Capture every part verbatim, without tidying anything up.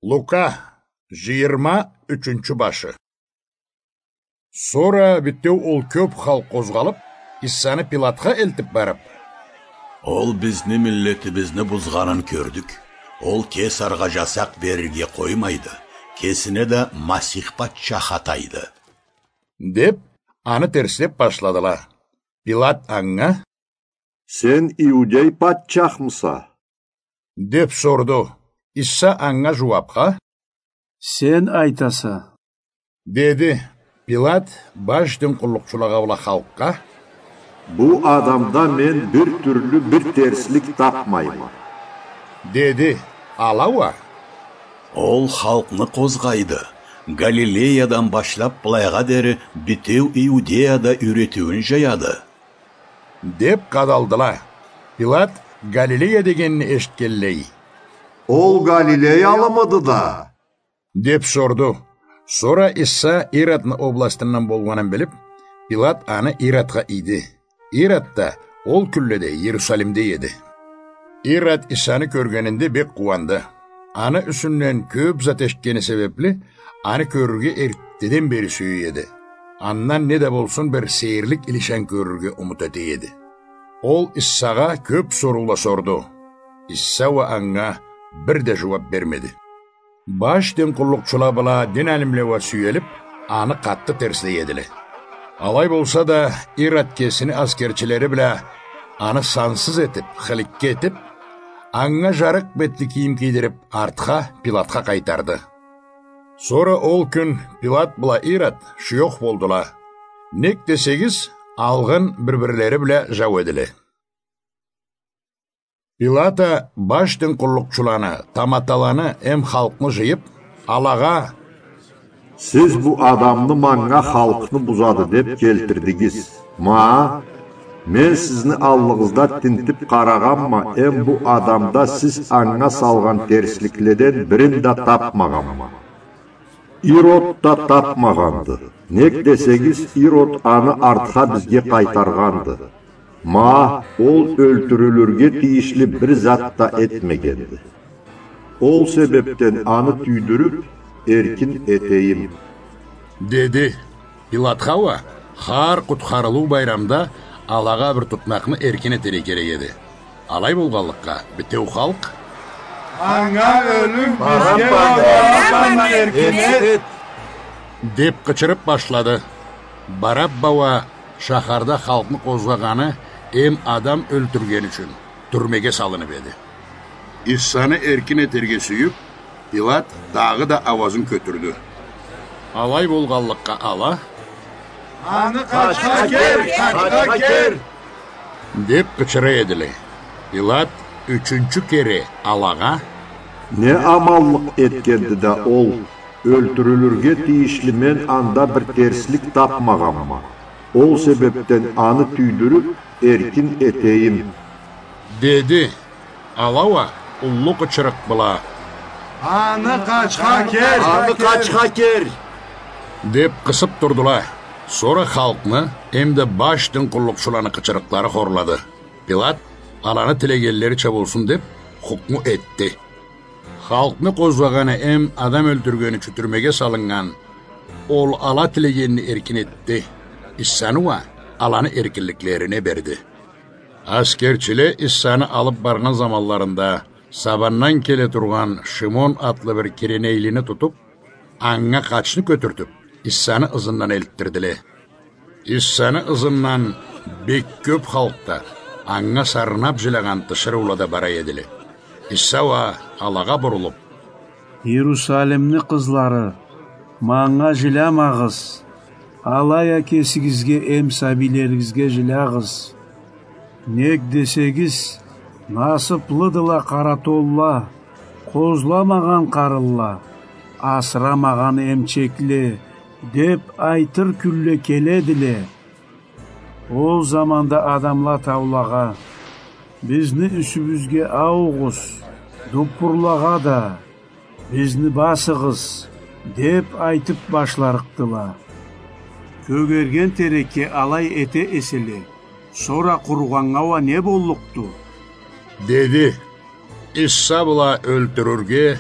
Лука, жыйырма ючюнчю башы. Сора битеу ол кёп халкъ къозгъалып, Иссаны Пилатха элтип барып: «Ол бизни миллетибизни бузгъанын кёрдюк. Ол Кесаргъа жасакъ берирге къоймайды, кесине да Масих патчах атайды», — деп, аны терслеп башладыла. Пилат анга: «Сен иудей патчахмыса?» — деп сорду. Исса анга жууапха: «Сен айтаса», — деди. Пилат баш дин къуллукъчулагъа бла халкъгъа: «Бу адамда мен бир тюрлю бир терслик тапмайма», — деди. Ала уа: «Ол халкъны къозгъайды. Галилеядан башлап былайгъа дери битеу Иудеяда юйретиуюн жаяды», — деп къадалдыла. Пилат Галилея дегенни эшитгенлей: «Ол галилеялымыды да?» — деп сорду. Сора Исса Иродну областындан болгъанын билип, Пилат аны Иродха ийди. Ирод да ол кюнледе Иерусалимде эди. Ирод Иссаны кёргенинде бек къууанды. Аны юсюнден кёп зат эшитгени себепли, аны кёрюрге эртдеден бери сюе эди. Андан не да болсун бир сейирлик илишан кёрюрге умут эте эди. Ол Иссагъа кёп соруула сорду. Исса уа анга бир да жууап бермеди. Баш дин къуллукъчула бла дин алимле уа сюелип, аны къаты терслей эдиле. Алай болса да, Ирод кесини аскерчилери бла аны сансыз этип, хыликке этип, анга жарыкъ бетли кийим кийдирип, артха Пилатха къайтарды. Сора ол кюн Пилат бла Ирод шуёх болдула. Нек десегиз, алгъын бир-бирлери бла жау эдиле. Пилат а баш дин къуллукъчуланы, таматаланы эм халкъны жыйып, алагъа: «Сиз бу адамны манга халкъны бузады деп келтирдигиз. Ма, мен сизни аллыгъызда тинтип къарагъанма, эм бу адамда сиз анга салгъан терсликледен бирин да тапмагъанма. Ирод да тапмагъанды. Нек десегиз, Ирод аны артха бизге къайтаргъанды. Ма, ол ёлтюрюлюрге тийишли бир зат да этмегенди. Ол себепден аны тюйдюрюп, эркин этейим», — деди. Пилатха уа хар къутхарылыу байрамда алагъа бир тутмакъны эркин этерге керек эди. Алай болгъанлыкъгъа, битеу халкъ: «Анга ёлюм, бизге Бараббаны эркин эт!» — деп къычырып башлады. Барабба уа шахарда халкъны къозгъагъаны эм адам ёлтюргени ючюн тюрмеге салынып эди. Иссаны эркин этерге сюйюп, Пилат дагъыда ауазын кётюрдю. Алай болгъанлыкъгъа, ала: «Аны къачха кер, къачха кер!» — деп къычыра эдиле. Пилат ючюнчю кере алагъа: «Не аманлыкъ этгенди да ол? Ёлтюрюлюрге тийишли мен анда бир терслик тапмагъанма. Ол себепден аны тюйдюрюп, эркин этейим», — деди. Ала уа уллу къычырыкъ бла: «Аны къачха кер! Аны къачха кер!» — деп къысып турдула. Сора халкъны эм да баш дин къуллукъчуланы къычырыкълары хорлады. Пилат аланы тилегенлерича болсун деп хукму этди. Халкъны къозгъагъаны эм адам ёлтюргени ючюн тюрмеге салыннган ол ала тилегенни эркин этди. Иссаны уа аланы эркинликлерине берди. Аскерчиле Иссаны алып баргъан заманларында сабандан келе тургъан Шимон атлы бир киренейлини тутуп, анга къачны кётюртюп, Иссаны ызындан элтдирдиле. Иссаны ызындан бек кёп халкъ да, анга сарнап жилягъан тиширыула да бара эдиле. Исса уа алагъа бурулуп: «Иерусалимни къызлары, манга жилямагъыз, алай а кесигизге эм сабийлеригизге жилягъыз. Нек десегиз, насыплыдыла къаратонла, къозламагъан къарынла, асырамагъан эмчекле, деп айтыр кюнле келедиле. Ол заманда адамла таулагъа: „Бизни юсюбюзге аугъуз“, дуппурлагъа да: „Бизни басыгъыз“, деп айтып башларыкъдыла. Кёгерген терекге алай эте эселе, сора къуругъаннга уа не боллукъду?“ — деди. Исса бла ёлтюрюрге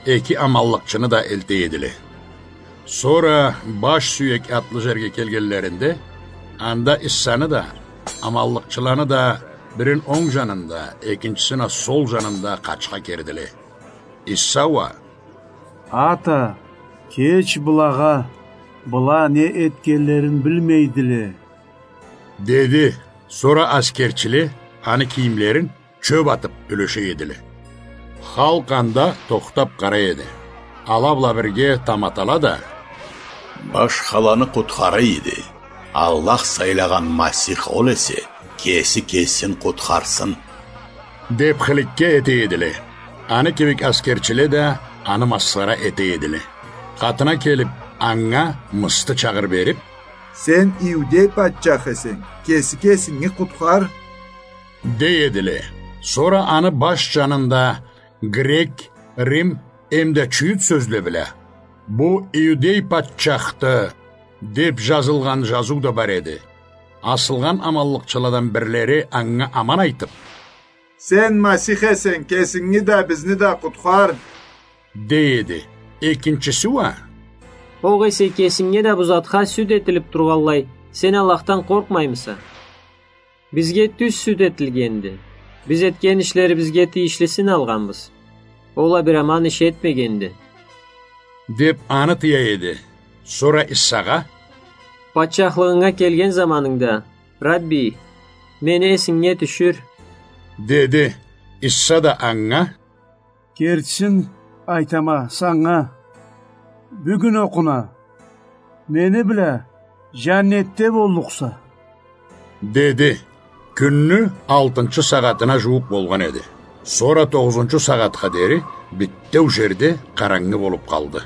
эки аманлыкъчыны да элте эдиле. Сора баш сюек атлы жерге келгенлеринде, анда Иссаны да, аманлыкъчыланы да бирин онг жанында, экинчисин а сол жанында къачха кердиле. Исса уа: «Ата, кеч былагъа, была не этгенлерин билмейдиле», — деди. Сора аскерчиле аны кийимлерин чёп атып юлеше эдиле. Халкъ анда тохтап къарай эди. Ала бла бирге таматала да: «Башхаланы къутхара эди. Аллах сайлагъан Масих ол эсе, кеси кесин къутхарсын», — деп хыликке эте эдиле. Аны кибик аскерчиле да аны масхара эте эдиле. Къатына келип, анга мысты чагъыр берип: «Сен иудей патчах эсенг, кеси кесинги къутхар», — дей эдиле. Сора аны баш жанында грек, рим эмда чюйют сёзле бла: «Бу иудей патчахды», — деп жазылгъан жазыу да бар эди. Асылгъан аманлыкъчыладан бирлери анга аман айтып: «Сен Масих эсенг, кесинги да, бизни да къутхар», — дей эди. Экинчиси уа: «Огъесе кесинге да бу затха сюд этилип тургъанлай, сен Аллахдан къоркъмаймыса? Бизге тюз сюд этилгенди. Биз этген ишлерибизге тийишлисин алгъанбыз. Ол а бир аман иш этмегенди», — деп аны тыя эди. Сора Иссагъа: «Патчахлыгъынга келген заманынгда, Рабби, мени эсинге тюшюр», — деди. Исса да анга: «Кертисин айтама санга, бюгюн окъуна мени бла жаннетде боллукъса», — деди. Кюнню алтынчы сагъатына жууукъ болгъан эди. Сора тогъузунчу сагъатха дери битеу жерде къарангы болуп къалды.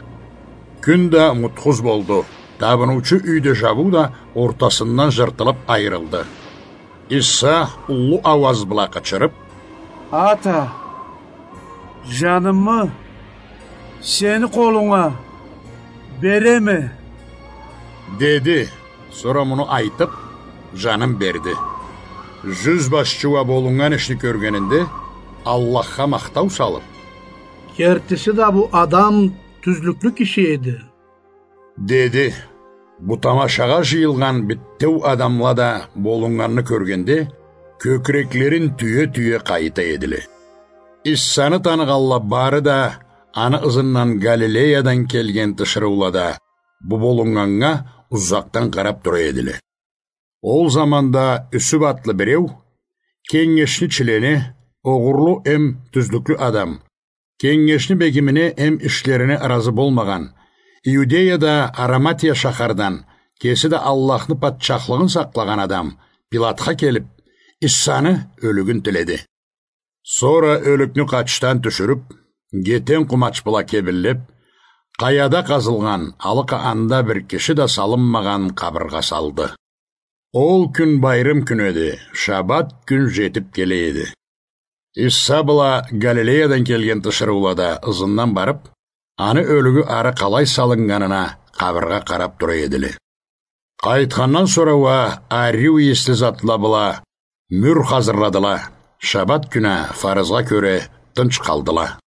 Кюн да мутхуз болду. Табыныучу юйде жабыу да ортасындан жыртылып айырылды. Исса уллу ауаз бла къычырып: «Ата, жанымы сени къолунга береме», — деди. Сора муну айтып, жанын берди. Жюзбашчы уа болуннган ишни кёргенинде, Аллахха махтау салып: «Кертиси да бу адам тюзлюклю киши эди», — деди. Бу тамашагъа жыйылгъан битеу адамла да болуннганны кёргенде, кёкюреклерин тюе-тюе къайта эдиле. Иссаны таныгъанла бары да, аны ызындан Галилеядан келген тиширыула да бу болуннганнга узакъдан къарап тура эдиле. Ол заманда Юсюп атлы биреу, кенгешни члени, огъурлу эм тюзлюклю адам, кенгешни бегимине эм ишлерине ыразы болмагъан, Иудеяда Араматия шахардан, кеси да Аллахны патчахлыгъын сакълагъан адам, Пилатха келип, Иссаны ёлюгюн тиледи. Сора ёлюкню къачдан тюшюрюп, гетен къумач бла кебинлеп, къаяда къазылгъан, алыкъа анда бир киши да салынмагъан къабыргъа салды. Ол кюн байрым кюн эди, шабат кюн жетип келе эди. Исса бла Галилеядан келген тиширыула да ызындан барып, аны ёлюгю ары къалай салыннганына къабыргъа къарап тура эдиле. Къайтхандан сора уа ариу ийисли затла бла мюр хазырладыла, шабат кюн а фарызгъа кёре тынч къалдыла.